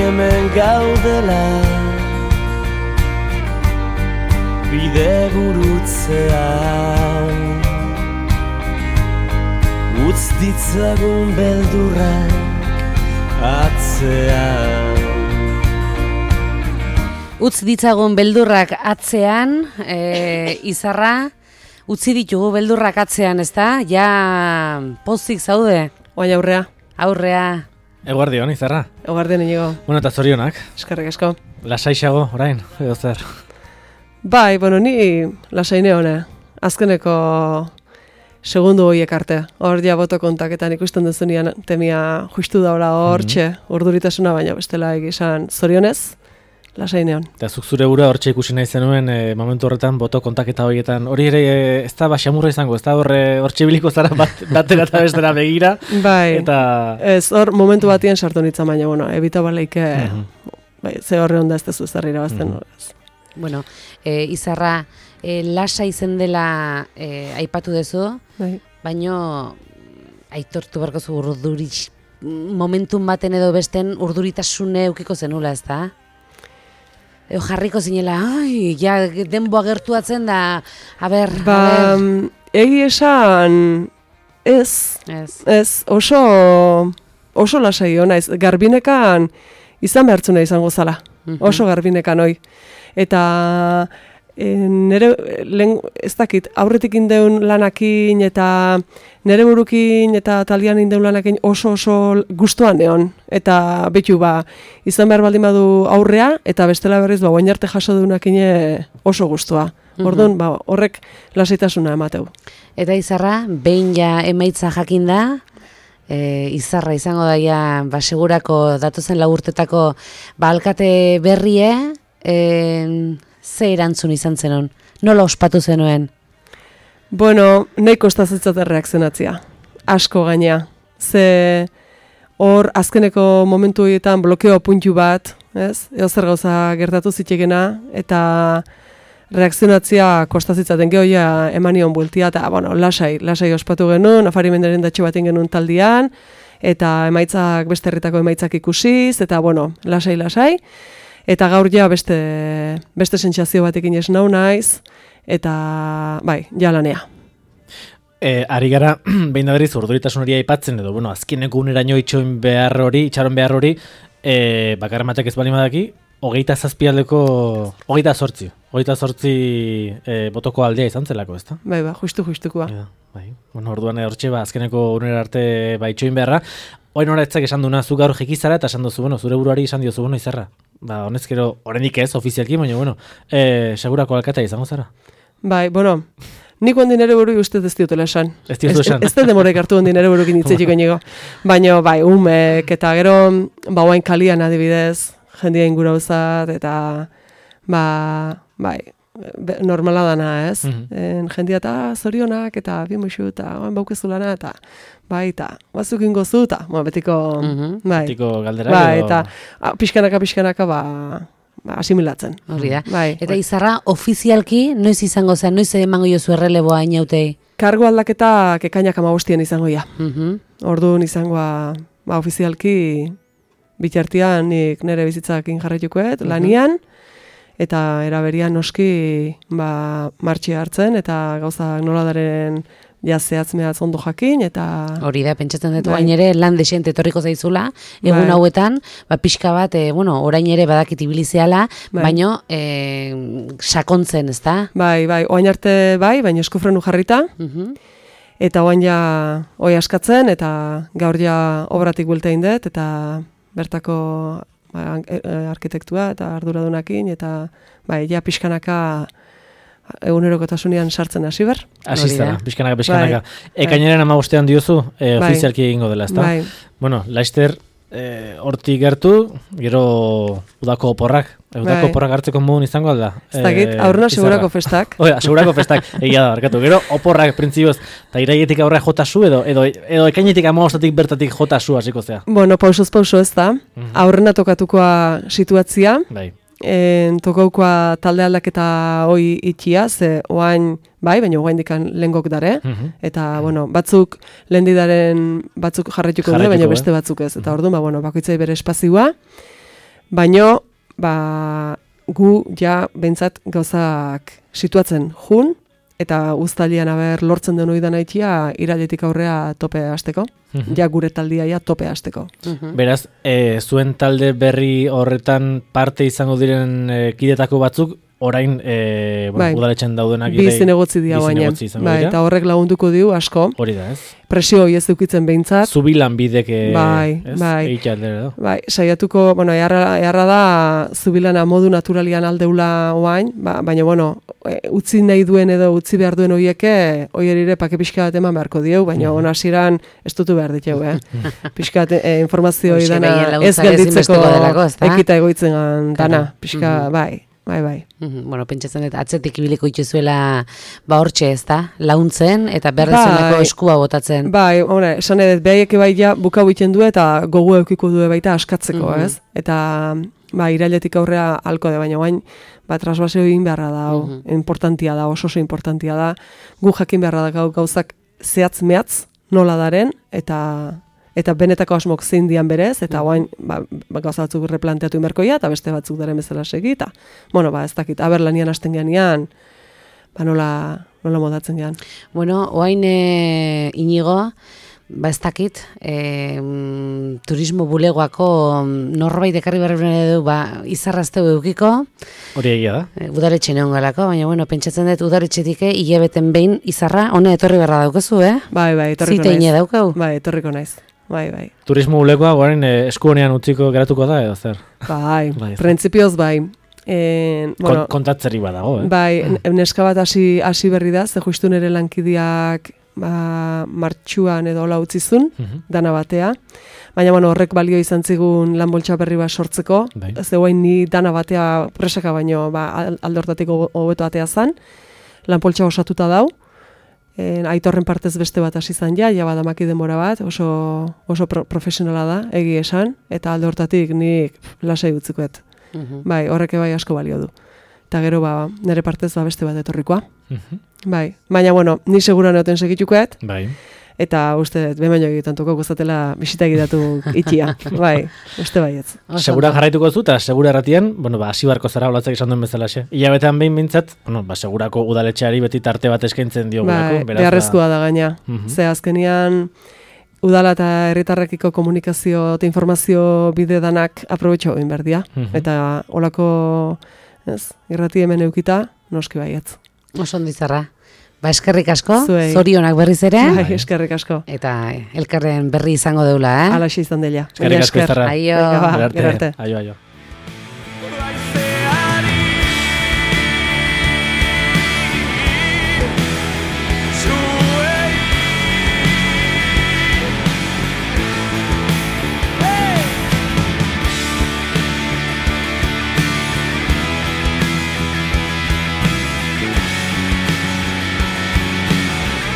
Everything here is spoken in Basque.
hemen gaudela bide gurutzean utz ditzagun beldurrak atzean. Utz ditzagun beldurrak atzean, Izarra, utzi ditugu beldurrak atzean, ezta? Ja, pozik zaude? Oain aurrea. Aurrea. Eguardion, Izarra. Eguardion inigo. Bueno, eta zorionak. Eskerrik asko. Lasaixago, orain, edo zer? Bai, bueno, ni lasaine hone. Azkeneko segundu horiek arte. Hor ja boto kontaketan ikusten duzunean temia justu daula hortxe, urduritasuna, baina bestela egizan zorionez, lasaineon. Eta zuk zure bura hortxe ikusi nahi zenuen momentu horretan boto kontaketa horietan. Hori ere ez da baxamurra izango, ez da hortxe biliko zara batera eta bestera begira. Bai, eta... ez hor momentu batien sartu nintzen, baina, bueno, ebita baleike, bai, ze horre onda ez tezu zerri irabazten. Bueno, Izarra, lasa izen dela aipatu dezu, bai. baino aitortu barko zu momentun baten edo besten urduritasune eukiko zenula, ez da? Eo jarriko zinela, ai, ja, denboa gertuatzen da, aber. Egi esan, ez, oso lasai hona, garbinekan izan behartzuna izango zala, oso garbinekan hoi. Eta nere, ez dakit, aurretik indeun lanakin eta nere burukin eta talian indeun lanakin oso gustuan egon. Eta betu izan behar baldin badu aurrea eta bestela berriz guain arte jaso dunakine oso gustua. Orduan, horrek lasaitasuna emateu. Eta Izarra, behin ja emaitza jakin da, Izarra izango daia, segurako datozen lagurtetako alkate berrie, ze erantzun izan zenon? Nola ospatu zenuen? Bueno, nahi kostazitzat erreakzionatzia. Asko gaina. Ze hor azkeneko momentu horietan blokeo puntu bat, ez? Eo zer gauza gertatu zitekena, eta reakzionatzia kostazitzaten gehoia emanion bueltia, eta bueno, lasai ospatu genuen, Afari Menderen datxo baten genuen taldian, eta emaitzak beste herritako emaitzak ikusiz, eta bueno, lasai. Eta gaur ja beste sentsazio batekin ez nau naiz, eta bai, ja lanea. Ari gara, behin da berriz, urduritasun hori aipatzen, edo, bueno, azkeneko uneraino itxaron behar hori, bakarra matek ez bali madaki, 28 botoko aldea izan zelako, ezta? Bai, justukoa. Bai, bueno, orduan hortxe, azkeneko unera arte itxoin beharra, oin horatzak esan duna zu gaur jekizara, eta esan duzu, bueno, zure buruari esan diozu, bueno, Izarra. Honezkero, oraindik ez, ofizialki, baina, bueno, segurako alkatea izango zara. Bai, bueno, nik ondin ere buru ustez ez diotela esan. Ez diotu esan. Ez da demorek hartu ondin ere burukin hitzetxiko nigo. Baina, bai, umek, eta gero, guain kalian adibidez, jendia ingura uzat, eta, bai, normala dana, ez? Jendia eta zorionak, eta bimuxu, eta oen baukezulana, eta bai, eta bazuk ingozu, eta betiko, bai. Betiko galdera. Bai, eta pixkanaka, asimilatzen. Horri da. Bai, eta Izarra, ofizialki, noiz izango zen, noiz emango jozu erreleboa inautei? Kargo aldaketa ekainak 15 izango ja. Orduan izangoa, ofizialki, bitartian nik nire bizitzakin jarraitukoet, lanian, eta eraberian noski martxia hartzen, eta gauzak noladaren zehatz ondo jakin, eta... Hori da, pentsatzen dut, orain ere lan desente etorriko zaizula, egun hauetan, pixka bat, orain ere badakit ibilizeala, baino sakontzen, ez da? Bai, orain arte baina eskufrenu jarrita, eta orain ja hoi askatzen, eta gaur ja obratik bueltein dut, eta bertako arkitektua eta arduradunakin, eta ja pixkanaka egunerokotasunean sartzen hasi ber. Hasi zara, pixkanaka. Ekainaren 15 diozu, ofizialki egingo dela, ezta? Bai. Bueno, Laister hortik gertu, gero udako oporrak. Udako oporrak hartzeko modun izango alda. Ez dakit, aurrena segurako festak. Oida, segurako festak, egia da, barkatu. Gero oporrak printzioz, eta iraietik aurra jotasu edo ekainetik 15 bertatik jotasu hasiko zea. Bueno, pausoz ez da. Aurrena tokatukoa situatzia. Bai. Tokaukoa talde aldaketa hoi itxia, ze oain, baina oain dikan lehengok dare, eta, bueno, batzuk lehendidaren batzuk jarraituko dure, baina beste batzuk ez. Eta orduan, bakoitzai bere espazioa, Baino, gu ja behintzat gauzak situatzen jun, eta uztailean lortzen den oidan aitia irailetik aurrea tope hasteko. Ja gure taldia ja tope hasteko. Beraz, zuen talde berri horretan parte izango diren kidetako batzuk, orain udaletxen daudenak bi zinegotzi dira baina. Eta horrek lagunduko diu asko. Hori da, ez? Presio hori ez dukitzen behintzat. Zubilan bidek bai. Bai, saiatuko, eharra da zubilana modu naturalian aldeula oain, baina, utzi nahi duen edo utzi behar duen horieke, hoierire pake pixka bat eman beharko dieu, baina ona hasieran ez dutu behar diteu, Pixka informazio dana ez gelditzeko ekita egoitzen dana, pixka, bai. Bueno, pentsatzen dut, atzetik ibiliko ituzuela hortxe ez da, launtzen eta berrezeneko eskua botatzen. Bai, esan edet, behaieke bai ja bukau iten du eta gogu eukiko du baita askatzeko, ez? Eta, irailetik aurrea halko de, baina bain, trasbaseo egin beharra da, importantia da, oso importantia da, gu jakin beharra da gauzak zehatz-mehatz nola daren, eta benetako asmok zein dian berez, eta guain gauza batzuk replanteatu inberkoia, eta beste batzuk daren bezala segi, eta, ez dakit, lanian hasten geanian, nola modatzen gean. Bueno, oain Inigo, ez dakit, turismo bulegoako norbait ekarri berri du, izarrazteu eukiko. Hori egia da. Udaletxe neon galako, baina, pentsatzen dut udaletxetik hilabeten behin izarra, hone etorri berra daukazu, Bai, etorriko naiz. Ziteine daukau? Bai, etorriko naiz. Bai. Turismo bulegoa, guaren esku honean utziko geratuko da, edo zer? Bai, printzipioz bai. Kontatzeri badago, Bai, neska bat hasi berri da, ze justu nere lankideak martxuan edo hola utzizun, dana batea. Baina, horrek balio izan zigun lan boltsa berri bat sortzeko. Ze guain ni dana batea presaka baino aldortatik hobeto atea zan. Lan poltsa osatuta dau. Aitorren partez beste bat hasi izan ja badamaki denbora bat, oso profesionala da, egi esan, eta alde hortatik nik lasai utzikoet. Bai, horreke bai asko balio du. Eta gero nire partez beste bat etorrikoa. Bai, baina, ni segura neoten segitukoet. Bai. Eta uste, behin egiten toko guztatela bisita egitatu itxia. Bai, uste baietz. Segura jarraituko zu, eta segura erratian, hasi barko zara olatzak esan duen bezala xe. Ilabetean behin bintzat, segurako udaletxeari beti tarte bat eskaintzen diogulako. Bai, beharrezkoa da gaina. Ze azkenian, udala eta herritarrekiko komunikazio eta informazio bide danak aprobetxo egin berdia. Eta olako, irrati hemen eukita, noski baietz. Oso ondizarra. Eskerrik asko, zorionak berriz ere. Bai, eskerrik asko. Eta elkarren berri izango deula, Alaxe izan dela. Eskerrik asko izarra. Aio. Gerarte. Aio.